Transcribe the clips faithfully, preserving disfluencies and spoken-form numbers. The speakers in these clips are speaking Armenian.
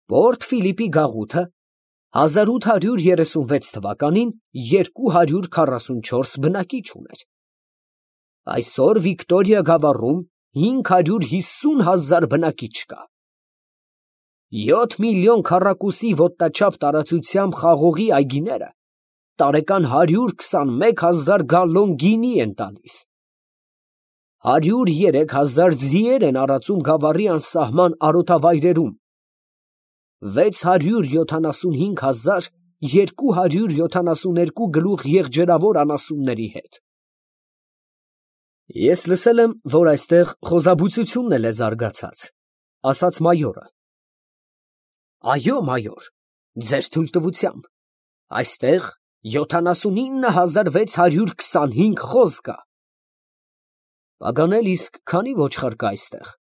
Պորտ Ֆիլիպի գաղութը հազար ութ հարյուր երեսունվեց թվականին երկու հարյուր քառասունչորս բնակիչ ուներ։ Այսօր Վիկտորիա գավառում հինգ հարյուր հիսուն հազար բնակիչ կա։ Յոթ միլիոն քառակուսի ոտնաչափ տարածությամբ խաղողի այգիները տարեկան հարյուր քսանմեկ հազար գալլոն գինի են տալիս։ Հարյուր երեք հազար ձիեր են արածում գավառի անսահման արոտավայրերում, վեց հարյուր յոթանասունհինգ հազար երկու հարյուր յոթանասուներկու գլուխ եղջերավոր անասունների հետ։ Ես լսել եմ, որ այստեղ խոզաբուծությունն էլ է զարգացած, ասաց մայորը։ Այո, մայոր, ձեր թույլտվությամբ, այստեղ յոթանասունինը հազար վեց հարյուր քսանհինգ խոզ կա։ Պագանել, իսկ քանի ոչխար կա այստեղ։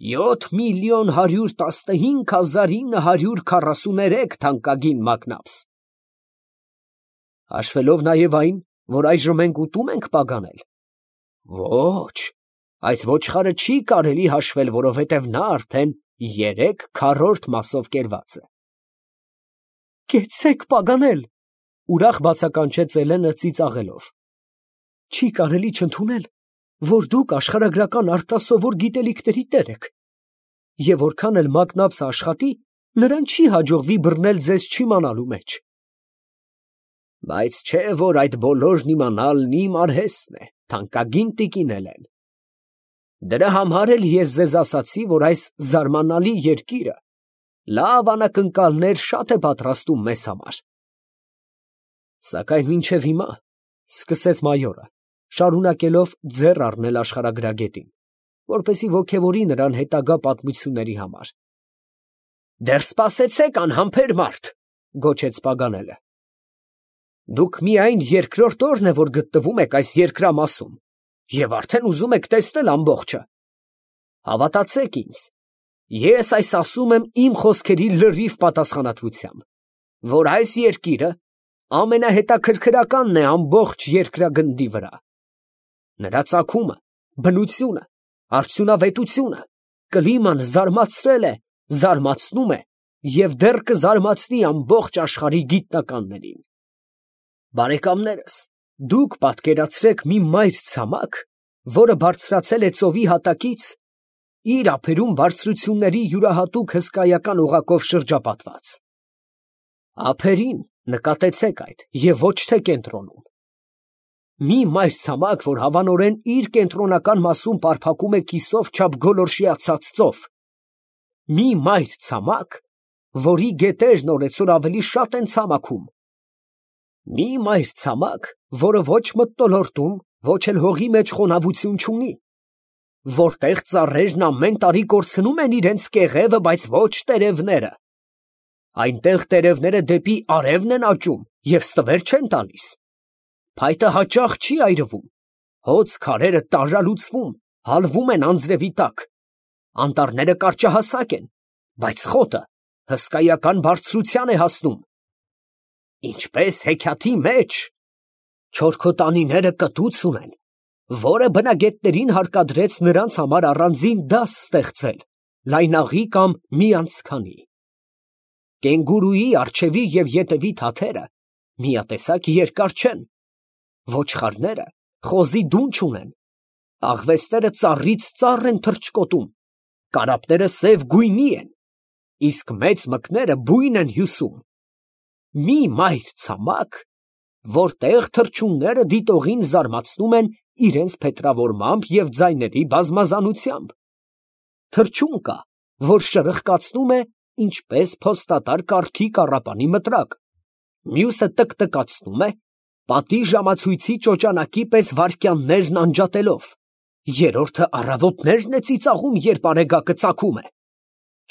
Յոթ միլիոն հարյուր տասնհինգ հազար ինը հարյուր քառասուներեք թանկագին մակնաբս։ Հաշվելով նաև այն, որ այժմ մենք ուտում ենք, Պագանել։ Ոչ, այդ ոչխարը չի կարելի հաշվել, որովհետև նա արդեն երեք քառորդ մասով կերված է։ Կեցեք, Պագանել, ուրախ բացականչեց Էլենը ծիծաղելով։ Չի կարելի չընդունել, որ դուք աշխարհագրական արտասովոր գիտելիքների տեր եք, և որքան էլ մակնաբսը աշխատի, նրան չի հաջողվի բռնել ձեզ չիմանալու մեջ։ Բայց չէ, որ այդ բոլորն իմանալն իմ արհեստն է, թանկագին տիկին Էլեն։ Դրա համար էլ ես ձեզ ասացի, որ այս զարմանալի երկիրը լավ անակնկալներ շատ է պատրաստում մեզ համար։ Սակայն մինչև հիմա, սկսեց մայորը, շարունակելով ձեռ առնել աշխարհագրագետին, որպեսզի ոգևորի նրան հետագա պատմությունների համար։ Դեռ սպասեցեք, անհամբեր մարդ, գոչեց Պագանելը։ Դուք միայն երկրորդ օրն է, որ գտնվում եք այս երկրամասում, և արդեն ուզում եք տեսնել ամբողջը։ Հավատացեք ինձ, ես այս ասում եմ իմ խոսքերի լրիվ պատասխանատվությամբ, որ այս երկիրը ամենահետաքրքրականն է ամբողջ երկրագնդի վրա։ Նրա ծագումը, բնությունը, արդյունավետությունը, կլիման զարմացրել է, զարմացնում է և դեռ կզարմացնի ամբողջ աշխարհի գիտնականներին։ Բարեկամներս, դուք պատկերացրեք մի մայր ցամաք, որը բարձրացել է ծովի հատակից, իր ափերում բարձրությունների յուրահատուկ հսկայական օղակով շրջապատված։ Ափերին նկատեցեք այդ և ոչ թե կենտրոնում։ Մի մայրցամաք, որ հավանորեն իր կենտրոնական մասում պարփակում է կիսով չափ գոլորշիացած ծով։ Մի մայրցամաք, որի գետերն օրեցօր ավելի շատ են ցամաքում։ Մի մայրցամաք, որը ոչ մթնոլորտում, ոչ էլ հողի մեջ խոնավություն չունի, որտեղ ծառերն ամեն տարի կորցնում են իրենց կեղևը, բայց ոչ տերևները։ Այնտեղ տերևները դեպի արևն են աճում և ստվեր չեն տալիս։ Փայտը հաճախ չի այրվում, հոծ քարերը տարրալուծվում, հալվում են անձրևի տակ։ Անտառները կարճահասակ են, բայց խոտը հսկայական բարձրության է հասնում։ Ինչպես հեքիաթի մեջ, չորքոտանիները կտուց ունեն, որը բնագետներին հարկադրեց նրանց համար առանձին դաս ստեղծել, լայնաղի կամ միանցքանի։ Կենգուրուի առջևի և ետևի թաթերը միատեսակ երկար չեն, ոչխարները խոզի դուն չունեն, աղվեսները ծառից ծառ են թռչկոտում, կարապները սև գույնի են, իսկ մեծ մկները բույն են հյուսում։ Մի մայրցամաք, որտեղ թռչունները դիտողին զարմացնում են իրենց փետրավորմամբ և ձայների բազմազանությամբ։ Թռչուն կա, որ շրխկացնում է, ինչպես փոստատար կառքի կառապանի մտրակ, մյուսը տկտկացնում է, պատի ժամացույցի ճոճանակի պես վայրկյաններն անջատելով, երրորդը առավոտներն է ծիծաղում, երբ արեգակը ծագում է,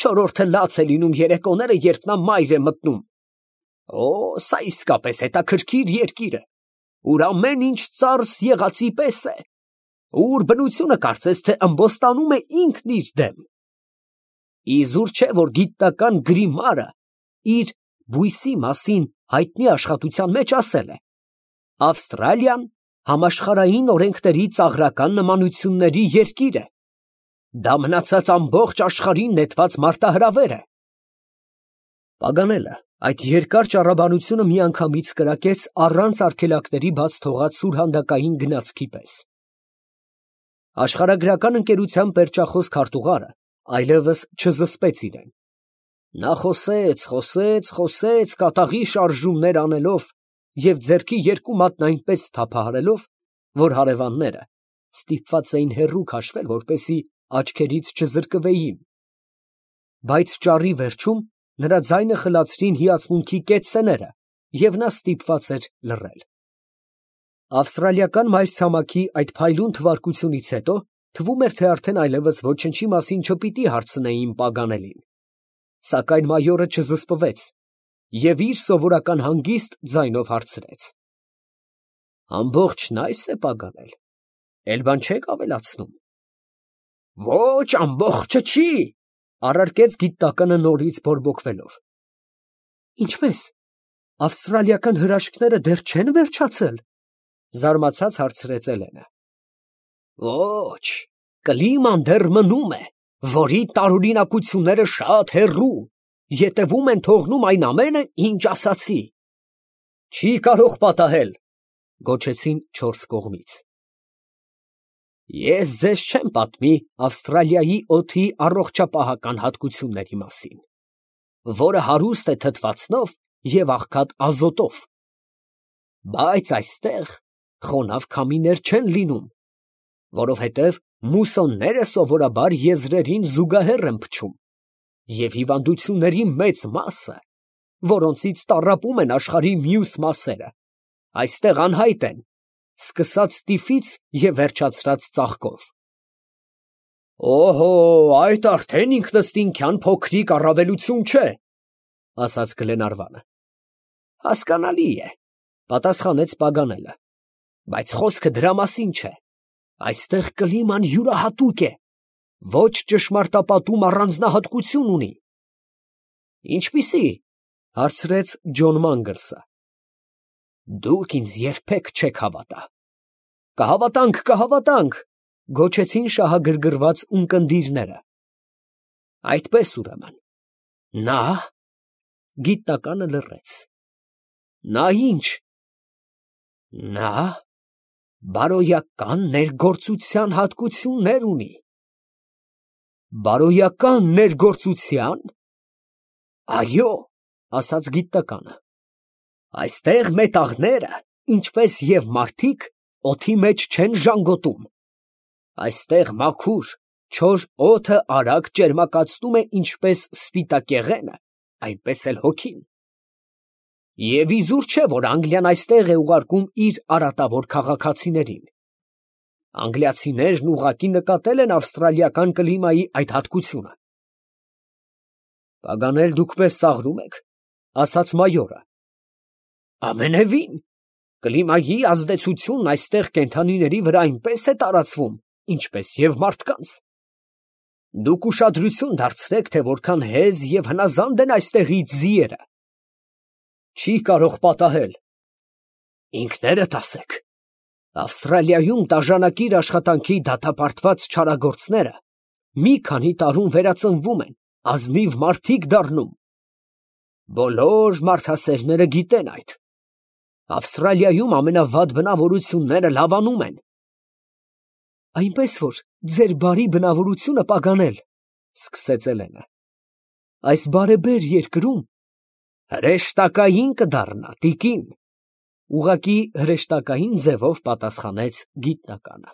չորրորդը լաց է լինում երեկոները, երբ նա մայր է մտնում։ Օ, սա իսկապես հետաքրքիր երկիր է, ուր ամեն ինչ ծարս եղածի պես է, ուր բնությունը կարծես թե ըմբոստանում է ինքն իր դեմ։ Իզուր չէ, որ գիտնական Գրիմարը իր բույսի մասին հայտնի աշխատության մեջ ասել է. Ավստրալիան համաշխարհային օրենքների ծաղրական նմանությունների երկիր է։ Դա մնացած ամբողջ աշխարհին նետված մարտահրավեր է, Պագանելը այդ երկար ճառաբանությունը միանգամից կրակեց առանց արգելակների բաց թողած սուրհանդակային գնացքի պես։ Աշխարհագրական ընկերության պերճախոս քարտուղարը այլևս չզսպեց իրեն։ Նա խոսեց, խոսեց, խոսեց, կատաղի շարժումներ անելով և ձեռքի երկու մատն այնպես թափահարելով, որ հարևանները ստիպված էին հեռու քաշվել, որպեսզի աչքերից չզրկվեին, բայց ճառի վերջում նրա ձայնը խլացրին հիացմունքի կեցցեները, և նա ստիպված էր լռել։ Ավստրալիական մայրցամաքի այդ փայլուն թվարկությունից հետո թվում էր, թե արդեն այլևս ոչնչի մասին չպիտի հարցնեին Պագանելին, սակայն մայորը չզսպվեց և իր սովորական հանգիստ ձայնով հարցրեց. «Ամբողջն այս է, Պագանել, էլ բան չեք ավելացնում»։ «Ոչ, ամբողջը չի», առարկեց գիտականը նորից բորբոքվելով։ «Ինչպե՞ս, ավստրալիական հրաշքները դեռ չեն վերջացել», զարմացած հարցրեց Էլենը։ «Ոչ, կլիման դեռ մնում է, որի տարօրինակությունները շատ հեռու, ետևում են թողնում այն ամենը, ինչ ասացի»։ «Չի կարող պատահել», գոչեցին չորս կողմից։ «Ես ձեզ չեմ պատմի Ավստրալիայի օդի առողջապահական հատկությունների մասին, որը հարուստ է թթվածնով և աղքատ ազոտով, բայց այստեղ խոնավ քամիներ չեն լինում, որովհետև մուսոնները սովորաբար եզրերին զուգահեռ են փչում, և հիվանդությունների մեծ մասը, որոնցից տառապում են աշխարհի մյուս մասերը, այստեղ անհայտ են, սկսած տիֆից և վերջացրած ծաղկով»։ «Օհո, այդ արդեն ինքնըստինքյան փոքրիկ առավելություն չէ», ասաց Գլենարվանը։ «Հասկանալի է», պատասխանեց Պագանելը, «բայց խոսքը դրա մասին չէ, այստեղ կլիման յուրահատուկ է, ոչ ճշմարտապատում առանձնահատկություն ունի»։ «Ինչպիսի՞, հարցրեց Ջոն Մանգլսը։ «Դուք ինձ երբեք չեք հավատա»։ «Կհավատանք, կհավատանք», գոչեցին շահագրգռված ունկնդիրները։ «Այդպես ուրեմն, նա…» Գիտնականը լռեց։ «Նա ի՞նչ»։ «Նա բարոյական ներգործության հատկություններ ունի»։ «Բարոյական ներգործությա՞ն»։ «Այո», ասաց գիտականը, «այստեղ մետաղները, ինչպես և մարդիկ, օդի մեջ չեն ժանգոտում. այստեղ մաքուր, չոր օդը արագ ճերմակացնում է ինչպես սպիտակեղենը, այնպես էլ հոգին։ Եվ իզուր չէ, որ Անգլիան այստեղ է ուղարկում իր արատավոր քաղաքացիներին։ Անգլիացիներն ուղղակի նկատել են ավստրալիական կլիմայի այդ հատկությունը»։ «Պագանել, դուք մեզ ծաղրում եք», ասաց մայորը։ «Ամենևին, կլիմայի ազդեցությունն այստեղ կենդանիների վրա այնպես է տարածվում, ինչպես և մարդկանց։ Դուք ուշադրություն դարձրեք, թե որքան հեզ և հնազանդ են այստեղի ձիերը»։ «Չի կարող պատահել»։ «Ինքներդ ասեք, Ավստրալիայում տաժանակիր աշխատանքի դատապարտված չարագործները մի քանի տարում վերածնվում են, ազնիվ մարդիկ դառնում։ Բոլոր մարդասերները գիտեն այդ։ Ավստրալիայում ամենավատ բնավորությունները լավանում են»։ «Այնպես որ ձեր բարի բնավորությունը, Պագանել, ֊ սկսեց Էլենը, ֊ այս բարեբեր երկրում հրեշտակային կդառնա, տիկին, ֊ ուղղակի հրեշտակային ձևով պատասխանեց գիտնականը։